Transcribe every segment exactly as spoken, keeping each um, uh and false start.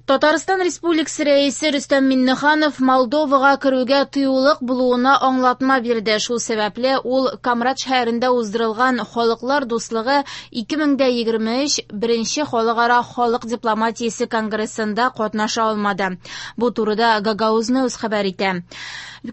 Татарстан Республикасы Рәисе Рөстәм Миңнеханов Молдовага керүгә тыюлык булуына аңлатма бирде. Шул сәбәпле ул Комрат шәһәрендә уздырылган Халыклар дуслыгы ике мең дә егерме өч беренче халыкара халык дипломатиясе конгрессында катнаша алмады. Бу турыда Гагауз News хәбәр итә.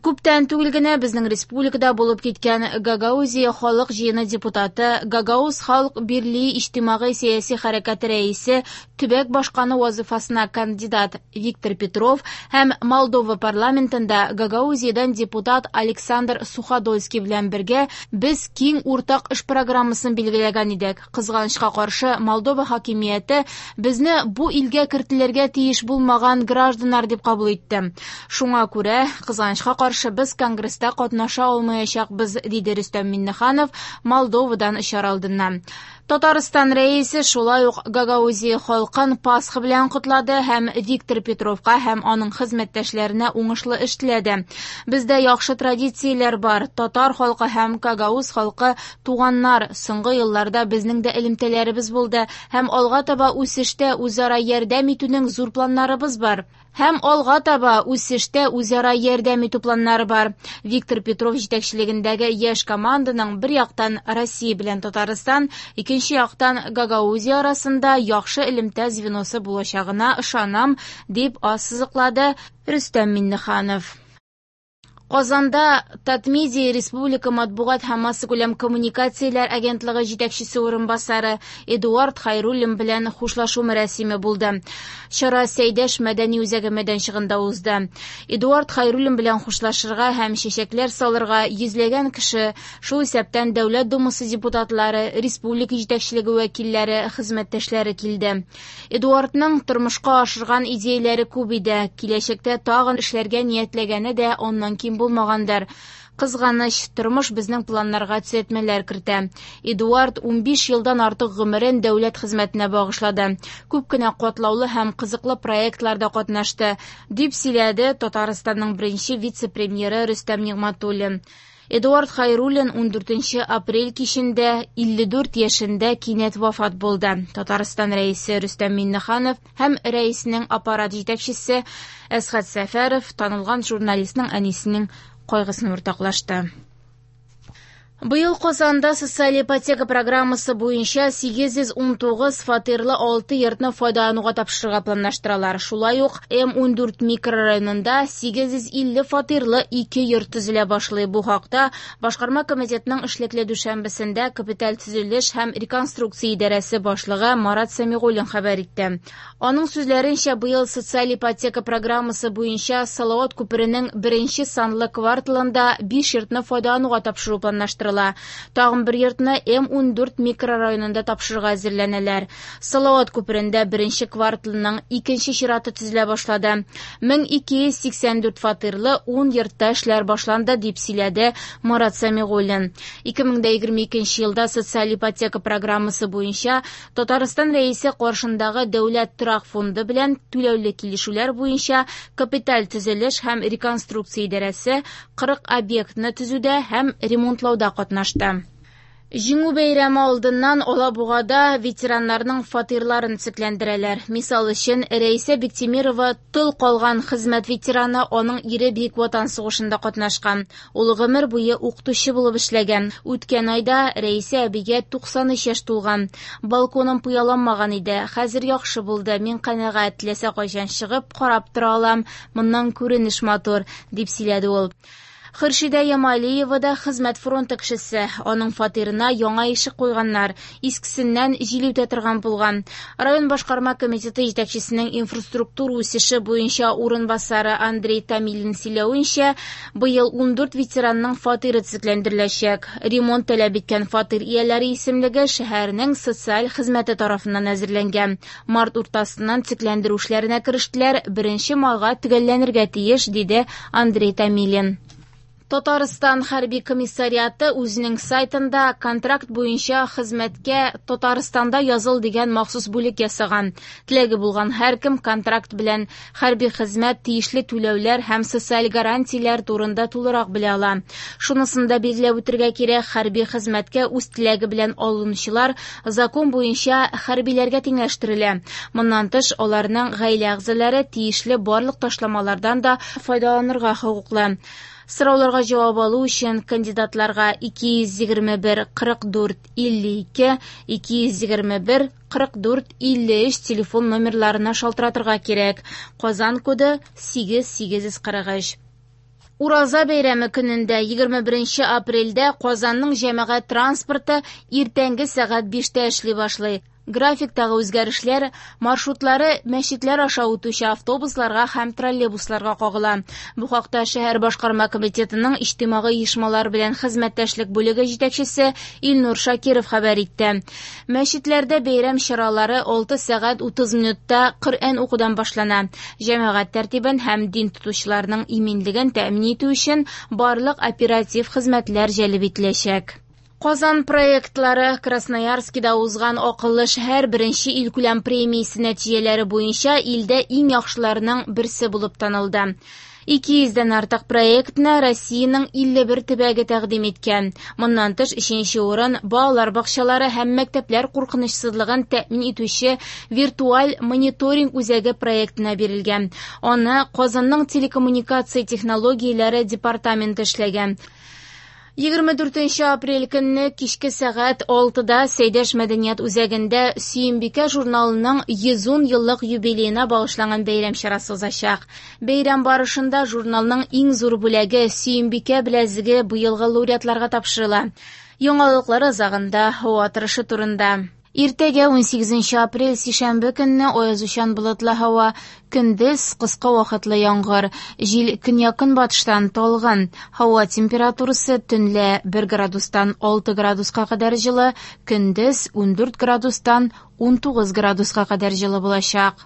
Күптән түгел генә безнең республикада булып киткән Гагаузия халык җыены депутаты, Гагауз халык бирли иҗтимагый сәяси хәрәкәте рәисе, төбәк башканы вазифасына кандидат Виктор Петров һәм Молдова парламентында Гагаузиядан депутат Александр Суходольский белән бергә без киң уртак эш программасын билгеләгән идек. Кызганычка каршы, Молдова хакимияте безне бу илгә кертелергә тиеш булмаган гражданнар дип кабул итте. Шуңа күрә, кызганычка каршы, без конгресста катнаша алмаячакбыз, диде Рөстәм Миңнеханов Молдовадан очар алдыннан. Татарстан рәисе шулай ук Гагаузия халкын Пасха белән котлады һәм Виктор Петровка һәм аның хезмәттәшләренә уңышлы эш теләде. Бездә яхшы традицияләр бар. Татар халкы һәм Гагауз халкы туганнар. Соңгы елларда безнең дә элемтәләребез булды һәм алга таба үсештә үзара ярдәм итүнең зур планнарыбыз бар. Һәм алга таба үсештә үзара ярдәм итү планнары бар. Виктор Петров җитәкчелегендәге яшь команданың бер яктан Россия белән Татарстан, икенче яктан Гагаузия арасында яхшы элемтә звеносы булачагына ышанам, дип ассызыклады Рөстәм Миңнеханов. Казанда Татмедиа Республика матбугат һәм массакүләм коммуникацияләр агентлыгы җитәкчесе урынбасары Эдуард Хайруллин белән хушлашу мәрасиме булды. Чара Сәйдәш мәдәни үзәге мәйданчыгында узды. Эдуард Хайруллин белән хушлашырга һәм чәчәкләр салырга йөзләгән кеше, шул исәптән Дәүләт Думасы депутатлары, республика җитәкчелеге вәкилләре, хезмәттәшләре килде. Эдуардның тормышка ашырган идеяләре күп иде. Киләчәктә тагын эшләргә ниятләгәне дә аннан ким булмагандыр. Кызганыч, тормыш безнең планнарга төзәтмәләр кертә. Эдуард унбиш елдан артык гомерен дәүләт хезмәтенә багышлады. Күп кенә катлаулы һәм кызыклы проектларда катнашты, дип сөйләде Татарстанның беренче вице-премьеры Рөстәм Нигъмәтуллин. Эдуард Хайруллин ундүртенче апрель кичендә илле дүрт яшендә кинәт вафат булды. Татарстан рәисе Рөстәм Миңнеханов һәм рәиснең аппарат җитәкчесе Әсхәт Сәфәров танылган журналистның әнисенең кайгысын уртаклашты. Быел Казанда социаль ипотека программасы буенча сигез йөз ун тугыз фатирлы алты йортны файдалануга тапшырырга планлаштыралар. Шулай ук М ундүрт микрорайонында сигез йөз илле фатирлы ике йорт төзелә башлый. Бу хакта Башкарма комитетының эшлекле дүшәмбесендә капиталь төзелеш һәм реконструкция идарәсе башлыгы Марат Сәмигуллин хәбәр итте. Аның сүзләренчә, быел социаль ипотека программасы буенча Салават күперенең беренче санлы кварталында биш йортны файдалануга тапшыру планлаштырыла. Тагын бер йортны М ундүрт микрорайонында тапшырырга әзерләнәләр. Салават күперендә беренче кварталның икенче чираты төзелә башлады. Мең ике йөз сиксән дүрт фатирлы ун йортта эшләр башланды, дип сөйләде Марат Сәмигуллин. Ике мең дә егерме икенче елда социаль ипотека программасы буенча Татарстан Рәисе каршындагы Дәүләт торак фонды белән түләүле килешүләр буенча капиталь төзелеш һәм реконструкция идарәсе кырык объектны төзүдә һәм ремонтлауда катнашты. Җиңү бәйрәме алдыннан Алабугада ветераннарның фатирларын төзекләндерәләр. Мисал өчен, Рәисә Биктимирова тол калган хезмәт ветераны, аның ире Бөек Ватан сугышында катнашкан. Ул гомер буе укытучы булып эшләгән. Үткән айда Рәисә әбигә туксан өч яшь тулган. Балконым пыяланмаган иде. Хәзер яхшы булды. Мин канәгать, теләсә кайчан чыгып карап тора алам. Моннан күренеш матур, дип сөйләде ул. Хөршидә Ямалиева да хезмәт фронты кешесе. Аның фатирына яңа ишек куйганнар. Искесеннән җил үтә торган булган. Район башкарма комитеты җитәкчесенең инфраструктура үсеше буенча урынбасары Андрей Томилин сөйләвенчә, быел ундүрт ветеранның фатиры төзекләндереләчәк. Ремонт таләп иткән фатир ияләре исемлеге шәһәрнең социаль хезмәте тарафыннан әзерләнгән. Март уртасыннан төзекләндерү эшләренә керештеләр, беренче майга төгәлләнергә тиеш, диде Андрей Томилин. Татарстан хәрби комиссариаты үзенең сайтында контракт буенча хезмәткә Татарстанда языл дигән махсус бүлек ясаган. Теләге булган һәркем контракт белән хәрби хезмәт, тиешле түләүләр һәм социаль гарантияләр турында тулырак белә ала. Шунысын да билгеләп үтергә кирәк, хәрби хезмәткә үз теләге белән алынучылар закон буенча хәрбиләргә тиңләштерелә. Моннан тыш, аларның гаилә әгъзалары тиешле барлык ташламалардан да файдаланырга хокуклы. Сорауларга җавап алу өчен кандидатларга ике йөз егерме бер кырык дүрт илле ике, ике йөз егерме бер кырык дүрт илле өч телефон номерларына шалтыратырга кирәк. Казан коды сигез сигез йөз кырык өч. Ураза бәйрәме көнендә егерме беренче апрельдә Казанның җәмәгать транспорты иртәнге сәгать биштә эшли башлый. Графиктагы үзгәрешләр маршрутлары мәчетләр аша үтүче автобусларга һәм троллейбусларга кагыла. Бу хакта шәһәр башкарма комитетының иҗтимагый оешмалар белән хезмәттәшлек бүлеге җитәкчесе Илнур Шакиров хәбәр итте. Мәчетләрдә бәйрәм чаралары алты сәгать утыз минутта Коръән укудан башлана. Җәмәгать тәртибен һәм дин тотучыларның иминлеген тәэмин итү өчен барлык оператив хезмәтләр җәлеп ителәчәк. Казан проектлары Красноярскида узган акыллы шәһәр беренче илкүләм премиясе нәтиҗәләре буенча илдә иң яхшыларының берсе булып танылды. Ике йөздән артык проектны Россиянең илле бер төбәге тәкъдим иткән. Моннан тыш, өченче урын балалар бакчалары һәм мәктәпләр куркынычсызлыгын тәэмин итүче виртуаль мониторинг үзәге проектына бирелгән. Аны Казанның телекоммуникация технологияләре департаменты эшләгән. Егерме дүртенче апрель көнне кичке сәгать алтыда Сәйдәш мәдәният үзәгендә Сөембикә журналының йөз ун еллык юбилеена багышланган бәйрәм чарасы узачак. Бәйрәм барышында журналның иң зур бүләге Сөембикә беләзеге быелгы лауреатларга тапшырыла. Яңалыклар азагында һава торышы турында. Иртәгә ун сигезенче апрель сишәмбе көнне аязучан болытлы һава, көндез кыска вакытлы яңгыр, җил көньяк-көнбатыштан талгын, һава температурасы төнлә бер градустан алты градуска кадәр җылы, көндез ун дүрт градустан ун тугыз градуска кадәр җылы булачак.